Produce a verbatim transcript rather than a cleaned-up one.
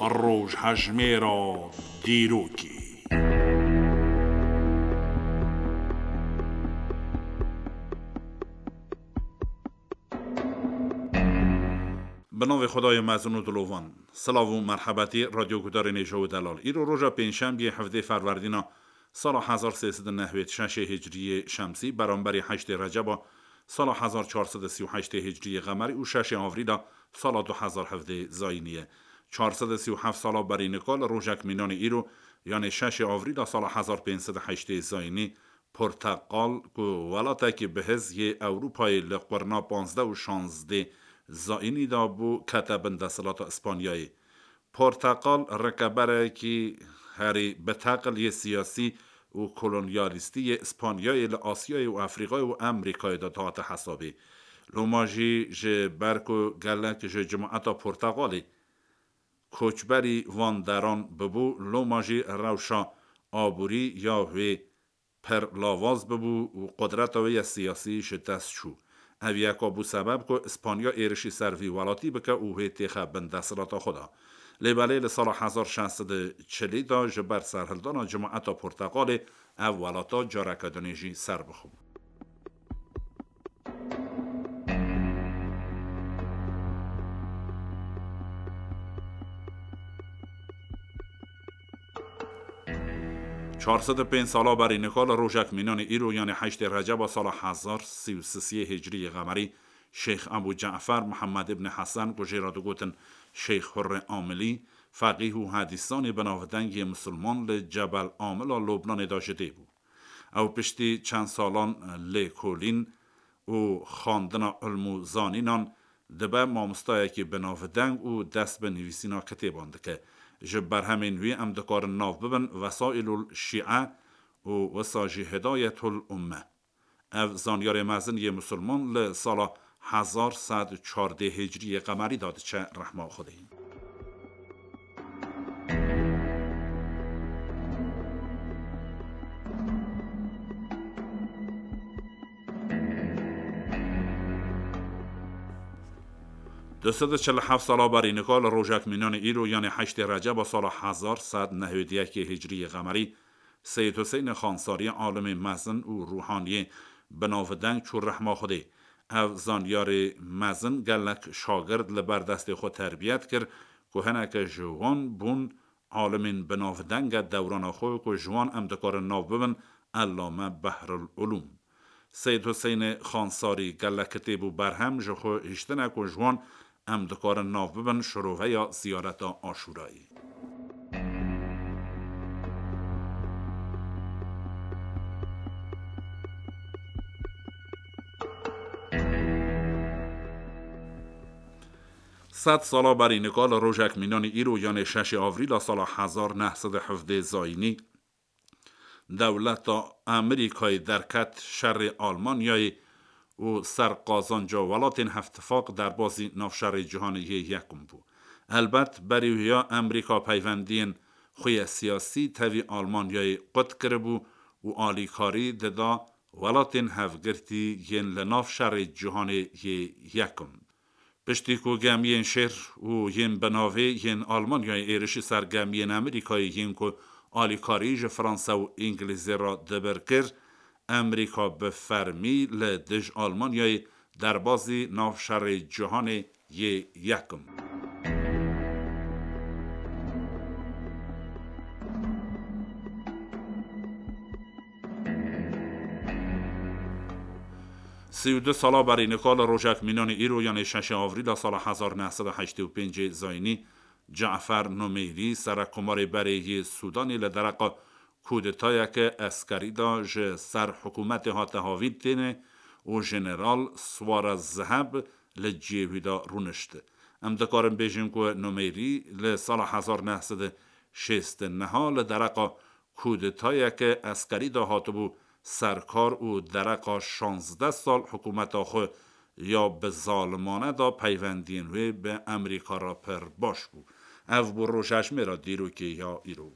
Rojhejmêra dîrokê. Bi navê Xwedayê mezin û dilovan. Silav û merhebetî radyogudarên hêja û delal. Îro roja pêncşembiyê hevdê Ferwerdîna sala hezar sê sed û nehwêd şeşê hicriyê şemsî, beramberî heştê Receba sala hezar çar sed û sî û heştê hicriyê qemerî û şeşê Avrîla sala du hezar hevdê zayînî ye. Çar sed û sî û heft sala berî nika li rojek mînanê îro, yanê şeşê Avrîla sala hezar pênc sed û heştê zayînî, Porteqal ku welatekî bihiz yê Ewropayê li qurna panzdeh û şazdê zayînî de bû, kete bin desthilata Îspanyayê. Porteqal rikeberekî herî biteqil yê siyasî û kolonyalîstî yê Îspanyayê li Asyayê û Efrîkayê û Amerîkayê de dihate hesabê. Loma jî ji ber ku gelek ji cemaeta Porteqalê koçberî van deran bibû, loma jî rewşa aborî ya wê pir lawaz bibû û qudreta wê ya siyasî ji dest çû. Ev yeka bû sebeb ku Îspanya êrişî ser vî welatî bike û wê têxe bin desthilata xwe de. Lê belê li sala hezar şeş sed û çilî de ji ber serhildana cemaeta Porteqalê ev welata careke dinê jî ser bixwe. Çar sed û pênc sala berî nika li rojek mînanê îro, yanê heştê Receba sala hezar sî û sisiyê hicriyê qemerî, Şêx Ebû Cefer Mihemed îbnê Hesen, ku jê re digotin Şêx Hurrê Amilî, feqîh û hedîsanê binavdeng yê misilman, li Cebel Amila Lubnanê de ji dê bû. Ew piştî çend salan lêkolîn û xwendina ilm û zanînan dibe mamostayekî binavdeng û dest bi nivîsîna kitêban dike. Ji berhemên wî em dikarin nav bibin Wesaîlul Şîe û wisa jî Hidayetul Umme. Ev zanyarê mezin yê misilman li sala hezar sed çardê hicriyê qemerî de diçe rehma Xwedê. Du sed û çil û heft sala berî nika li rojek mînanê îro, yanê heştê Receba sala hezar sed nehwêd yekê hicriyê qemerî, Seyîd Huseynê Xansarî, alimê mezin û rûhaniyê binavdeng çû rehma Xwedê. Ev zanyarê mezin gelek şagird li ber destê xwe terbiyet kir ku hineke ji wan bûn alimên binavdenge dewrana xwe ku ji wan em dikarin nav bibin Ellame Behrul Ulûm. Seyîd Huseynê Xansarî gelek kitêb û berhem ji xwe hiştine ku ji wan em dikarin nav bibin şiroveya ziyareta Aşûrayê. Sed sala berî nika li rojek mînanî îro, yanê şeşê Avrîla sala hezar neh sed û hevdeh zayînî, dewleta Amerîkayê derket şerê Almanyayê û ser qazanca welatên Hevtifaq derbazî navşerê cîhanê yê yekum bû. Helbet berî wiya Amerîka peywendiyên xwe yê siyasî tevî Almanyayê qut kiribû û alîkarî dida welatên hevgirtî yên li nav şerê cîhanê yê yekum. Piştî ku gemiyên şêr û yên binavê yên Almanyayê êrişî ser gemiyên Amerîkayê yên ku alîkarî ji Fransa û Îngilîzê re dibir kir, Amerîka bi fermî li dij Almanyayê derbazî nav şerê cîhanê yê yekim. Sî û du sala berî nika li rojek mînanê îro, yanê şeşê Avrîla sala hezar neh sed û heştê û pêncê zayînî, Cafer Numeyrî, serekkomarê berê yê Sûdanê, li dereqa kûdetayeke eskerî de ji ser hikûmetê hate havîn têne û Jeneral Suwara Zeheb li cihê wî de rûnişt. Em dikarin bêjin ku Numeyrî li sala hezar neh sed û şêst û neh li dereqa kûdetayeke eskerî de hatibû serkar û dereqa şazdeh sal hikûmeta xwe ya bi zalimane de peywendiyên wê bi Amerîka re pir baş bû. Ev bû rojejmêra dîrokê ya îro.